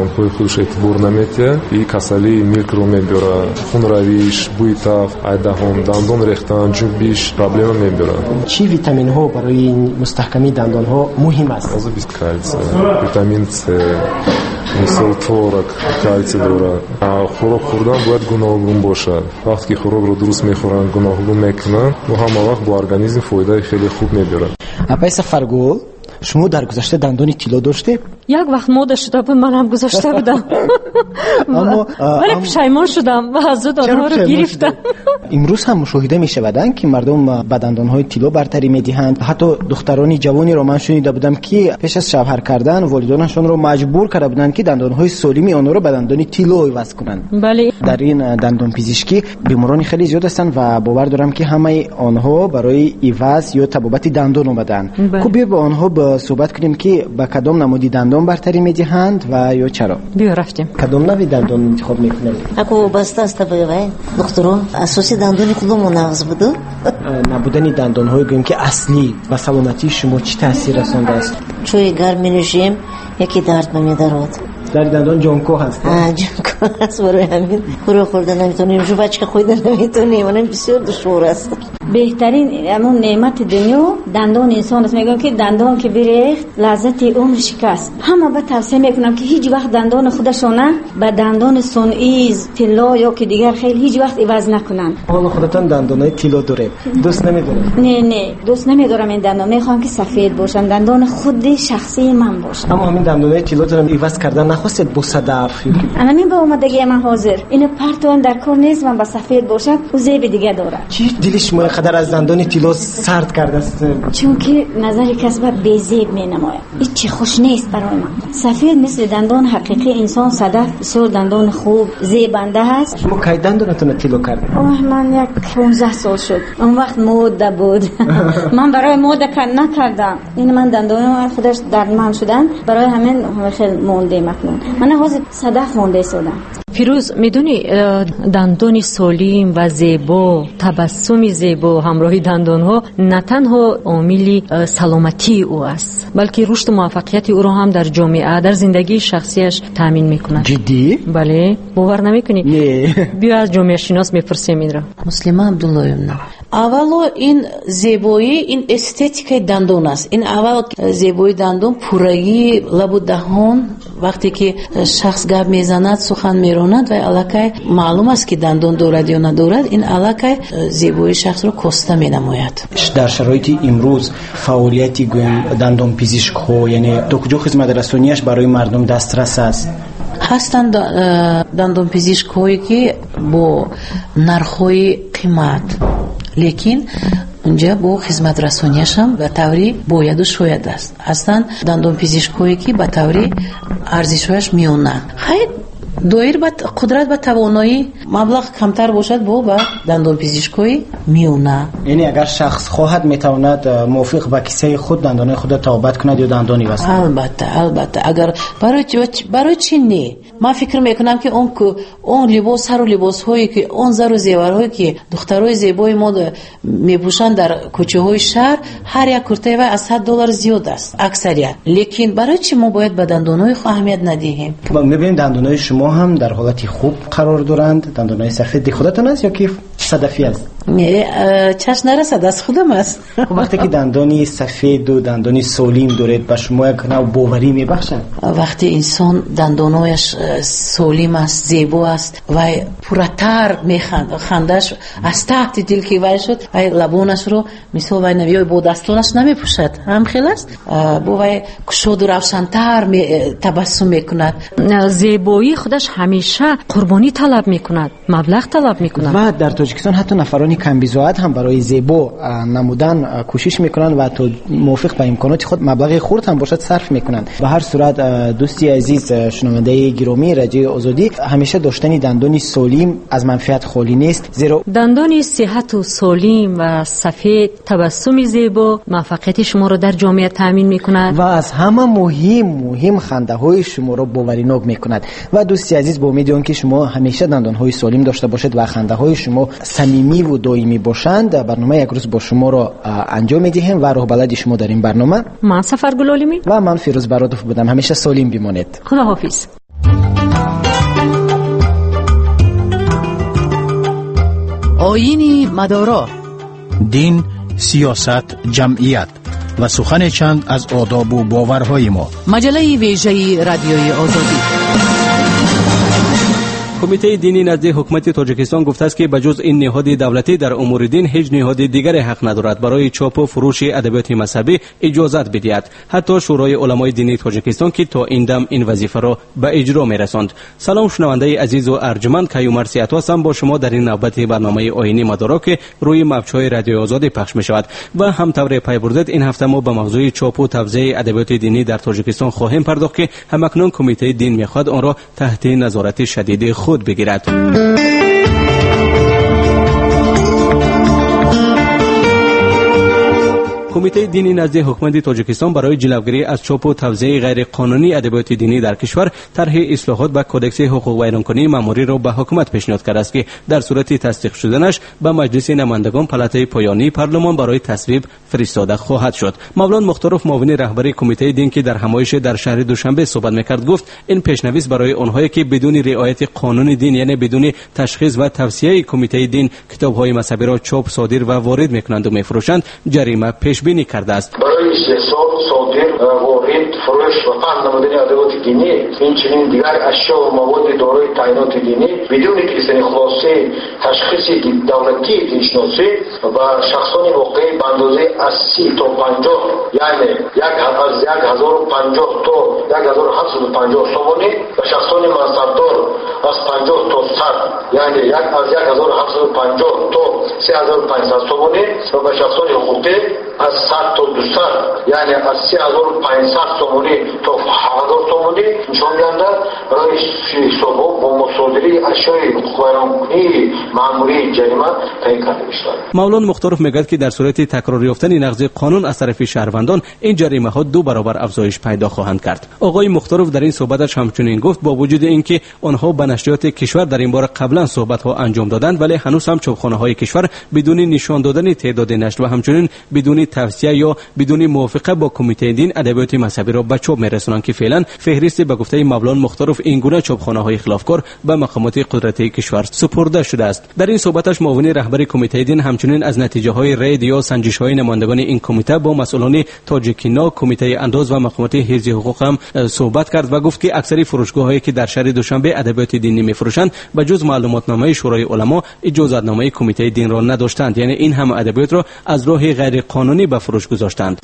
Дандонҳои худаш эътибор наметиҳад и касалии милкро мебиёрад. Хунравиш, бӯи таф, ай даҳон, дандон рехтан, ҷунбиш проблема мебиёрад. Чӣ витаминҳо барои мустаҳкамии дандонҳо муҳим аст? Озу бист кальций, витамин С, мисол творог кальций дорад. Хӯрок хӯрдан бояд гуногун бошад. Вақте ки хӯрокро дуруст мехӯранд, гуногун мекунанд, ӯ ҳама вақт бо организм фоидаи хеле хуб мебиёрад. Апай Сафаргул, шумо дар гузашта дандони тилло доштед? Як вақт мода шуда буд, ман ҳам гузошта будам. Вале пушаймон шудам ва аз зуд онҳоро гирифтам. Имрӯз ҳам мушоҳида мешавад, ки мардум ба дандонҳои тилло бартарӣ медиҳанд. Ҳатто духтарони ҷавонеро ман шунида будам, ки пеш аз шавҳар кардан волидонашонро маҷбур карда буданд, ки дандонҳои солими онҳоро ба дандони тилло иваз кунанд. Бале. Дар ин дандонпизишкӣ беморони хеле зиёд ҳастанд ва бовар дорам, ки ҳамаи онҳо барои иваз ё табобати дандон омадаанд. Хуб, биё бо онҳо суҳбат кунем, ки ба кадом намуди дандон бартарӣ медиҳанд ва ё чаро. Биё рафтем. Кадом нави дандон интихоб мекунед? Ако вобаста аст ба духтуро, асоси дандони худамон нағз буду. Набудани дандонҳои гӯем ки аслӣ ба саломатии шумо чӣ таъсир расондааст? Чӯи гарм менӯшем, яке дард намедарод. Дарди дандон ҷонкоҳ аст. Ҷонкоҳ аст, барои ҳамин хӯрок хӯрда наметавонем, жувачка хӯрда наметавонем, онам бисёр душвор аст. Беҳтарин ҳамон неъмати дунё дандони инсон аст. Мегӯям, ки дандон ки бирехт, лаззати умр шикаст. Ҳама ба тавсия мекунам, ки ҳеҷ вақт дандони худашона ба дандони сунъӣ, тилло ё ки дигар хел ҳеҷ вақт иваз накунанд. Ҳоло худатон дандонои тилло доред, дӯст намедоред? Не, не, дӯст намедорам ин дандон. Мехоҳам, ки сафед бошанд, дандони худи шахсии ман бошад. Аммо ҳамин дандонои тиллотонро иваз кардан нахостед бо садаф? Ҳамин ба омадагии ман ҳозир. Ина партоам дар кор нест, ман ба сафед бошад, ӯ зеби дига дорад. Чӣ дили шумо қадар аз дандони тилло сард кардааст? Чунки назари кас ба безеб менамояд. Ҳеҷ чӣ хуш нест барои ман. Сафед мисли дандони ҳақиқии инсон, садаф бисёр дандони хуб, зебанда ҳаст. Шумо кай дандонатонро тилло кардед? Оҳ, ман як 15 сол шуд. Он вақт мода буд. Ман барои мода накардам. Ин ман дандонам худаш дардманд шуданд. Барои ҳамин хеле мондем акнун. Ман ҳозир садаф монда истодам. Фирӯз, медонӣ, дандони солим ва зебо, табассуми зебо ҳамроҳи дандонҳо на танҳо омили саломатии ӯ аст, балки рушду муваффақияти ӯро ҳам дар ҷомеа, дар зиндагии шахсияш таъмин мекунад. Ҷиддӣ? Бале. Бовар намекунӣ? Не. Биё аз ҷомеашинос мепурсем инро. Муслима Абдуллоевна, аввало ин зебоӣ, ин эстетикаи дандон аст. Ин аввал зебоии дандон, пуррагии лабу даҳон. Вақте ки шахс гап мезанад, сухан меронад, вай аллакай маълум аст, ки дандон дорад ё надорад. Ин аллакай зебоии шахсро коста менамояд. Дар шароити имрӯз фаъолияти гӯем дандонпизишкҳо, яъне то куҷо хизматрасонияш барои мардум дастрас аст? Ҳастанд дандонпизишкҳое, ки бо нархҳои қимат, лекин унҷа бо хизматрасонияшам ба таври бояду шояд аст. Ҳастанд дандонпизишкҳое, ки ба таври арзишҳояш миёна. Хайр, доир ба қудрат, ба тавоноӣ, маблағ камтар бошад, бо ба дандонпизишкҳои миёна. Яъне агар шахс хоҳад, метавонад мувофиқ ба кисаи худ дандонои худро табобат кунад ё дандон иваз кунад? Албатта, албатта. Агар барои чӣ не? Ман фикр мекунам, ки он либос, сару либосҳое, ки он зару зеварҳое, ки духтарои зебои мо мепӯшанд дар кӯчаҳои шаҳр, ҳар як куртаи вай аз $100 зиёд аст аксарият. Лекин барои чӣ мо бояд ба дандонҳои худ аҳамият надиҳем? Мебинем, дандонҳои шумо ҳам дар ҳолати хуб қарор доранд. Дандонҳои сафеди худатон аст ё ки садафӣ аст? Не, чашм нарасад, аз худам аст. Вақте ки дандони сафеду дандони солим доред, ба шумо як нав боварӣ мебахшад? Вақте инсон дандонҳояш солим аст, зебо аст, вай пурратар механдад, хандаш аз таҳти дил ки вай шуд, вай лабонашро мисол вай ё бо дастонаш намепӯшад, ҳам хел аст, бо вай кушоду равшантар табассум мекунад. Зебоӣ худаш ҳамеша қурбонӣ талаб мекунад, маблағ талаб мекунад. Ва дар Тоҷикистон ҳатто нафарони камбизоат ҳам барои зебо намудан кӯшиш мекунанд ва то мувофиқ ба имконоти худ маблағи хурд ҳам бошад сарф мекунанд. Ба ҳар сурат, дӯсти азиз, шунавандаи гиромии Радиои Озодӣ, ҳамеша доштани дандони солим аз манфиат холӣ нест, зеро дандони сиҳату солим ва сафед, табассуми зебо муваффақияти шуморо дар ҷомеа таъмин мекунад ва аз ҳама муҳим хандаҳои шуморо боваринок мекунад. Ва дӯсти азиз, бо умеди он ки шумо ҳамеша дандонҳои солим дошта бошед ва хандаҳои шумо самимиву доимӣ бошанд, барномаи як рӯз бо шуморо анҷом медиҳем ва роҳбалади шумо дар ин барнома ман Сафаргул Олимӣ ва ман Фирӯз Бародов будам. Ҳамеша солим бимонед. Худоҳофиз. Оини мадоро. Дин, сиёсат, ҷамъият ва сухане чанд аз одобу боварҳои мо. Маҷаллаи вежаи Радиои Озодӣ. Кумитаи динӣ назди ҳукумати Тоҷикистон гуфтааст, ки ба ҷуз ин ниҳоди давлатӣ дар умури дин ҳеҷ ниҳоди дигаре ҳақ надорад барои чопу фурӯши адабиёти мазҳабӣ иҷозат бидиҳад, ҳатто Шӯрои уламои динии Тоҷикистон, ки то ин дам ин вазифаро ба иҷро мерасонд. Салом, шунавандаи азизу арҷманд, Каюмар Сияту ҳастам бо шумо дар ин навбати барномаи Оини Мадоро, ки рӯи мавҷҳои Радиои Озодӣ пахш мешавад. Ва ҳам тавре пай бурдед, ин ҳафта мо ба мавзӯи чопу тавзеи адабиёти динӣ дар Тоҷикистон хоҳем пардохт, ки ҳамакнун Кумитаи дин мехоҳад онро таҳти назорати шадиди худ бигирад. Кумитаи динӣ назди ҳукумати Тоҷикистон барои ҷилавгирӣ аз чопу тавзеи ғайриқонунии адабиёти динӣ дар кишвар тарҳи ислоҳот ба Кодекси ҳуқуқвайронкунии маъмуриро ба ҳукумат пешниҳод кардааст, ки дар сурати тасдиқ шуданаш ба Маҷлиси намояндагон, палатаи поёнии парлумон, барои тасвиб фиристода хоҳад шуд. Мавлон Мухторов, муовини раҳбари Кумитаи дин, ки дар ҳамоише дар шаҳри Душанбе суҳбат мекард, гуфт ин пешнавис барои онҳое ки бидуни риояти қонуни дин, яъне бидуни ташхис ва тавсияи Кумитаи дин китобҳои мазҳабиро чоп, содир ва ворид мекунанду мефурӯшанд, ҷарима пешбинӣ кардааст. Барои истеҳсол, содир, ворид, фурӯш ва паҳн намудани адабиёти динӣ, инчунин дигар ашё ва маводи дорои таъиноти динӣ бидуни гирифтани хулосаи ташхиси давлатии диншиносӣ ба шахсони воқеӣ ба андозаи аз 30 то 50, яъне аз 1050 то 1750 сомонӣ, ба шахсони мансабдор аз 50 то 100, яъне аз 1750 то 3500 сомонӣ ва ба шахсони ҳуқуқӣ аз 100 то 200, яъне аз 3500 сомонӣ то 1000 сомонӣ нишондиҳанда барои ҳисобҳо бо мусодираи ашёи ҳуқуқвайронкунии маъмурии ҷарима таъин карда мешавад. Мавлон Мухторов мегӯяд, ки дар сурати такрор ёфтани нақзи қонун аз тарафи шаҳрвандон ин ҷаримаҳо ду баробар афзоиш пайдо хоҳанд кард. Оғои Мухторов дар ин суҳбаташ ҳамчунин гуфт, бо вуҷуди ин ки онҳо ба нашриёти кишвар дар ин бора қаблан суҳбатҳо анҷом доданд, вале ҳанӯз ҳам чопхонаҳои кишвар бидуни нишон додани теъдоди нашр ва ҳамчунин бидуни тавсия ё бидуни мувофиқа бо Кумитаи дин адабиёти мазҳабиро ба чоп мерасонанд, ки феълан феҳристи ба гуфтаи Мавлон Мухторов ин гуна чопхонаҳои хилофкор ба мақомоти қудратии кишвар супурда шудааст. Дар ин суҳбаташ муовини раҳбари Кумитаи дин ҳамчунин аз натиҷаҳои рейд ё санҷишҳои намояндагони ин кумита бо масъулони Тоҷикино, Кумитаи андоз ва мақомоти ҳифзи ҳуқуқ ҳам суҳбат кард ва гуфт, ки аксари фурӯшгоҳҳое ки дар шаҳри Душанбе адабиёти динӣ мефурӯшанд, ба ҷуз маълумотномаи Шӯрои уламо иҷозатномаи Кумитаи динро надоштанд, яъне ин ҳама адабиётро аз роҳи ғайриқонунӣ ба фурӯш гузоштанд.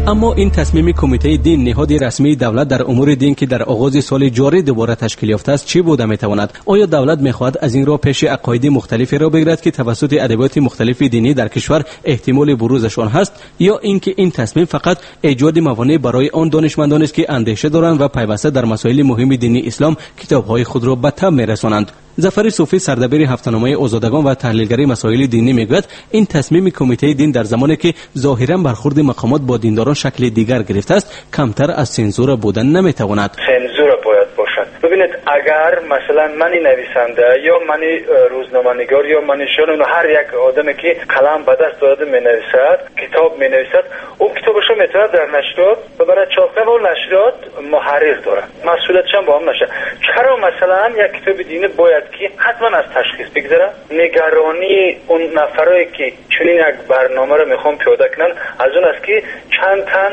Аммо ин тасмими Кумитаи дин, ниҳоди расмии давлат дар умури дин, ки дар оғози соли ҷорӣ дубора ташкил ёфтааст, чӣ буда метавонад? Оё давлат мехоҳад аз ин роҳ пеши ақоиди мухталиферо бигирад, ки тавассути адабиёти мухталифи динӣ дар кишвар эҳтимоли бурузашон ҳаст, ё ин ки ин тасмим фақат эҷоди мавонеъ барои он донишмандонест, ки андеша доранд ва пайваста дар масоили муҳими дини ислом китобҳои худро ба таб мерасонанд? Зафари Суфӣ, сардабири ҳафтаномаи Озодагон ва таҳлилгари масоили динӣ, мегӯяд ин тасмими Кумитаи дин дар замоне ки зоҳиран бархурди мақомот бо диндорон шакли дигар гирифтааст, камтар аз сензура будан наметавонад. Сензура бояд бошад. Бибинед, агар масалан мани нависанда ё мани рӯзноманигор ё мани шон, ҳар як одаме ки қалам ба даст дорад менависад, китоб менависад, ӯ китобашро метавонад дар нашриёт бибарад чоп кунад ва нашриёт муҳаррир дорад, масъулиятшам бо ҳам нашад. Чаро масалан як китоби динӣ бояд ки ҳатман аз ташхис бигзарад? Нигаронии он нафарое ки чунин як барномаро мехоҳанд пиёда кунанд аз он аст, ки чанд тан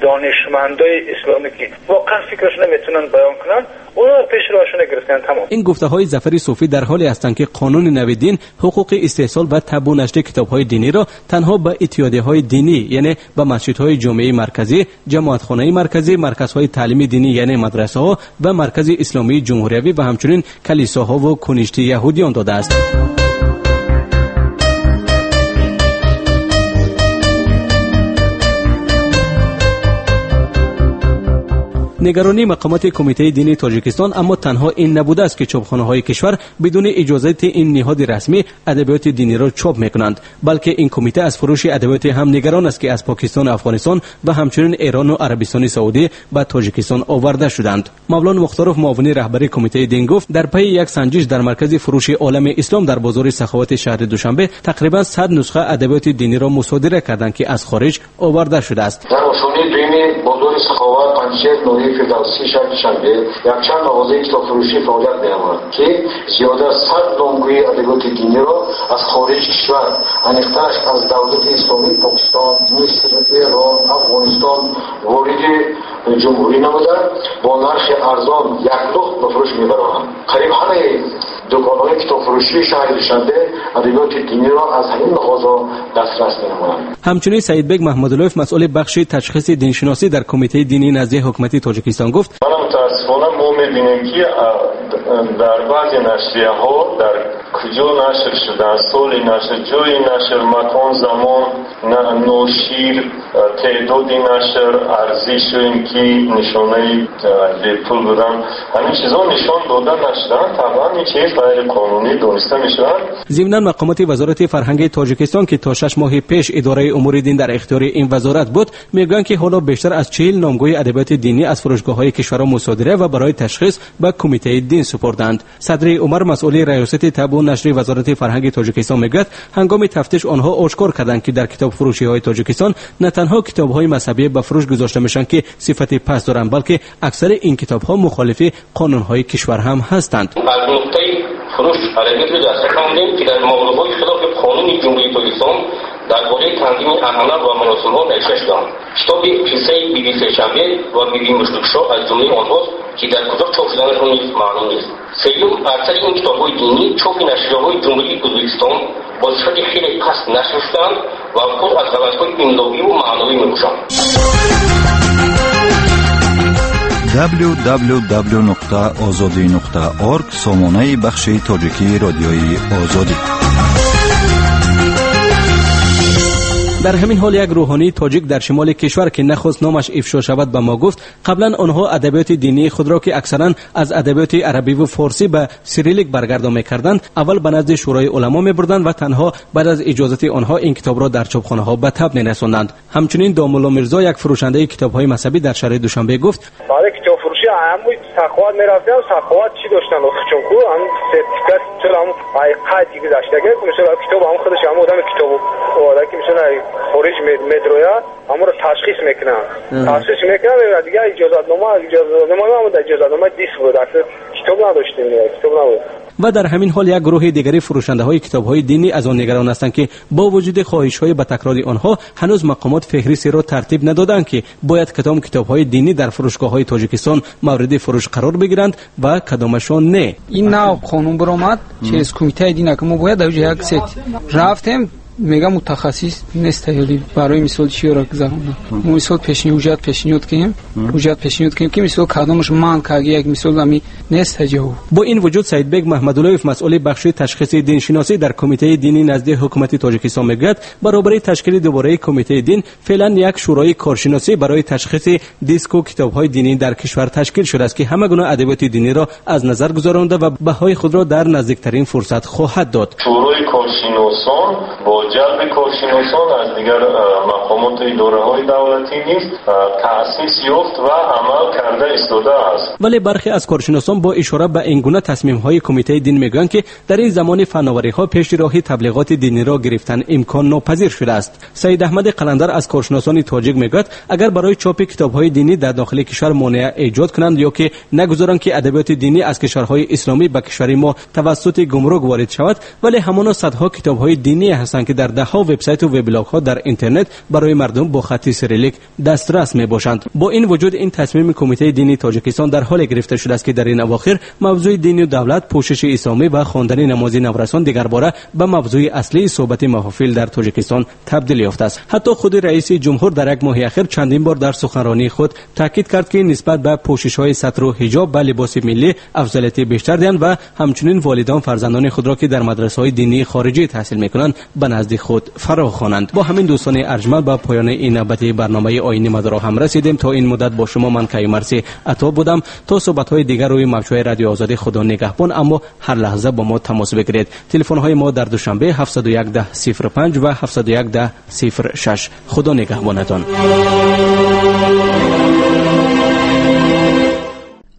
донишмандои исломӣ ки воқеан фикрашонро метавонанд баён кунанд, онҳо пеш роҳашонро гирифтанд. Тамом. Ин гуфтаҳои Зафари Суфӣ дар ҳоле ҳастанд, ки қонуни нави дин ҳуқуқи истеҳсол ва табу нашри китобҳои диниро танҳо ба иттиҳодияҳои динӣ, яъне ба масҷидҳои ҷомеаи марказӣ, ҷамоатхонаи марказӣ, марказҳои таълими динӣ, яъне мадрасаҳо ва Маркази исломии ҷумҳуриявӣ ва ҳамчунин калисоҳову куништи яҳудиён додааст. Нигаронии мақомоти Кумитаи дини Тоҷикистон аммо танҳо ин набудааст, ки чопхонаҳои кишвар бидуни иҷозати ин ниҳоди расмӣ адабиёти диниро чоп мекунанд, балки ин кумита аз фурӯши адабиёте ҳам нигарон аст, ки аз Покистон, Афғонистон ва ҳамчунин Эрон ва Арабистони Саудӣ ба Тоҷикистон оварда шуданд. Мавлон Мухторов, муовини раҳбари Кумитаи дин, гуфт дар пайи як санҷиш дар маркази фурӯши Олами Ислом дар бозори Саховати шаҳри Душанбе тақрибан 100 нусха адабиёти диниро мусодира карданд, ки аз хориҷ оварда шудааст. Дар ошонаи дуюми бозори Саховат, Панҷшер, ноҳияи Фирдавсии шаҳри Душанбе якчанд мағозаи китобфурӯшӣ фаъолият менамояд, ки зиёда аз 100 номгӯи адабиёти диниро аз хориҷи кишвар, аниқтараш аз давлати исломии Покистон, Миср, Эрон, Афғонистон вориди ҷумҳурӣ намуда бо нархи арзон яклухт ба фурӯш мебаранд. Қариб ҳамаи дуконҳои китобфурӯшии шаҳри Душанбе адабиёти диниро аз ҳамин мағозаҳо дастрас менамоянд. Ҳамчунин Саидбек Маҳмадуллоев, масъули бахши ташхиси диншиносӣ дар Кумитаи динии назди ҳукумати Тоҷикистон, гуфт: мутаассифона мо мебинем, ки дар баъзе нашрияҳо дар куҷо нашр шуданд, соли нашр, ҷои нашр, макон, замон, ношир, теъдоди нашр, арзишу ин ки нишонаи бепул будан, ҳамин чизҳо нишон дода нашуданд. Табъан ин чиз ғайриқонунӣ дониста мешавад. Зимнан мақомоти Вазорати фарҳанги Тоҷикистон, ки то 6 моҳи пеш идораи умури дин дар ихтиёри ин вазорат буд, мегӯянд, ки ҳоло бештар аз 40 номгӯи адабиёти динӣ аз фурӯшгоҳҳои кишварро мусодира ва барои ташхис ба Кумитаи дин супурданд. Садри Умар, масъули раёсати табъу нашри Вазорати фарҳанги Тоҷикистон, мегӯяд ҳангоми тафтиш онҳо ошкор карданд, ки дар китобфурӯшиҳои Тоҷикистон на танҳо китобҳои мазҳабӣ ба фурӯш гузошта мешаванд, ки сифати паст доранд, балки аксари ин китобҳо мухолифи қонунҳои кишвар ҳам ҳастанд. Аз нуқтаи фурӯш адабиётро дастрас намудем, ки дар мавзӯъҳои хилофи қонуни Ҷумҳурии Тоҷикистон дар бораи танзими анъана ва маросимҳо навишта шудаанд. Китоби қиссаи Биби Сешанбе ва Биби Муштукшо аз ҷумлаи онҳост, ки дар куҷо чоп шуданашон низ маълум нест. Сеюм, аксари ин китобҳои динӣ чопи нашрияҳои Ҷумҳурии Ӯзбекистон бо сифати хеле паст нашр шудаанд ва пур аз ғалатҳои имловиву маъновӣ мебошанд. www.ozodi.org сомонаи бахши тоҷикии Радиои Озодӣ. Дар ҳамин ҳол як рӯҳонии тоҷик дар шимоли кишвар, ки нахост номаш ифшо шавад, ба мо гуфт қаблан онҳо адабиёти динии худро, ки аксаран аз адабиёти арабиву форсӣ ба сирилик баргардон мекарданд, аввал ба назди Шӯрои уламо мебурданд ва танҳо баъд аз иҷозати онҳо ин китобро дар чопхонаҳо ба таб мерасонданд. Ҳамчунин Домулло Мирзо, як фурӯшандаи китобҳои мазҳабӣ дар шаҳри Душанбе, гуфт: барои китобфурӯшӣ ҳамун Саховат мерафтем, Саховат чӣ доштанд охчонку, ҳамун сертификат, ҳамун қайд гузаштага, мисол китоб ҳамун худаш ҳамун одами китоб оварда, ки мисол хориҷ медрояд, ҳамонро ташхис мекунанд. Ташхис мекунанд, дигар иҷозатнома иҷозатнома диск буд, китоб надоштем, китоб набуд. Ва дар ҳамин ҳол як гурӯҳи дигари фурӯшандаҳои китобҳои динӣ аз он нигарон ҳастанд, ки бо вуҷуди хоҳишҳои ба такрори онҳо ҳанӯз мақомот феҳристиро тартиб надоданд, ки бояд кадом китобҳои динӣ дар фурӯшгоҳҳои Тоҷикистон мавриди фурӯш қарор бигиранд ва кадомашон не. Ин нав қонун баромад через Кумитаи дин, ки мо бояд дар як сет рафтем, мега мутахассис нест ҳали барои мисол чиёра гузаронда. Мо мисол ҳуҷҷат пешниҳод кунем, ҳуҷҷат пешниҳод кунем, ки мисол кадомаш ман каги як мисол ами нест ҷавоб. Бо ин вуҷуд Саидбек Маҳмадуллоев, масъули бахши ташхиси диншиносӣ дар Кумитаи динии назди ҳукумати Тоҷикистон, мегӯяд баробари ташкили дубораи Кумитаи дин феълан як шӯрои коршиносӣ барои ташхиси диску китобҳои динӣ дар кишвар ташкил шудааст, ки ҳама гуна адабиёти диниро аз назар гузаронда ва баҳои худро дар наздиктарин фурсат хоҳад дод. Шӯрои коршиносон бо ҷалби коршиносон аз дигар мақомоту идораҳои давлатӣ низ таъсис ёфт ва амал карда истодааст. Вале бархе аз коршиносон бо ишора ба ин гуна тасмимҳои Кумитаи дин мегӯянд, ки дар ин замони фановариҳо пеши роҳи таблиғоти диниро гирифтан имкон нопазир шудааст. Саид Аҳмади Қаландар аз коршиносони тоҷик мегӯяд агар барои чопи китобҳои динӣ дар дохили кишвар монеа эҷод кунанд ё ки нагузоранд, ки адабиёти динӣ аз кишварҳои исломӣ ба кишвари мо тавассути гумрук ворид шавад, вале ҳамоно садҳо китобҳои динӣ ҳастанд, ки дар даҳҳо вебсайту веблогҳо дар интернет барои мардум бо хатти сирилик дастрас мебошанд. Бо ин вуҷуд ин тасмими Кумитаи динии Тоҷикистон дар ҳоле гирифта шудааст, ки дар ин авохир мавзӯи дину давлат, пӯшиши исломӣ ва хондани намози наврасон дигарбора ба мавзӯи аслии суҳбати маҳофил дар Тоҷикистон табдил ёфтааст. Ҳатто худи раиси ҷумҳур дар як моҳи ахир чандин бор дар суханронии худ таъкид кард, ки нисбат ба пӯшишҳои сатру ҳиҷоб ба либоси миллӣ афзалияти бештар диҳанд ва ҳамчунин волидон фарзандони худро, ки дар мадрасаҳои динии хориҷӣ таҳсил мекунанд, ба назди назди худ фаро хонанд. Бо ҳамин, дӯстони арҷманд, ба поёни ин навбати барномаи Оини Мадоро ҳам расидем. То ин муддат бо шумо ман Каюмарси Ато будам. То суҳбатҳои дигар рӯи мавҷҳои Радиои Озодӣ, Худо нигаҳбон. Аммо ҳар лаҳза бо мо тамос бигиред. Телефонҳои мо дар Душанбе 701 10 05 ва 701 10 06. Худо нигаҳбонатон.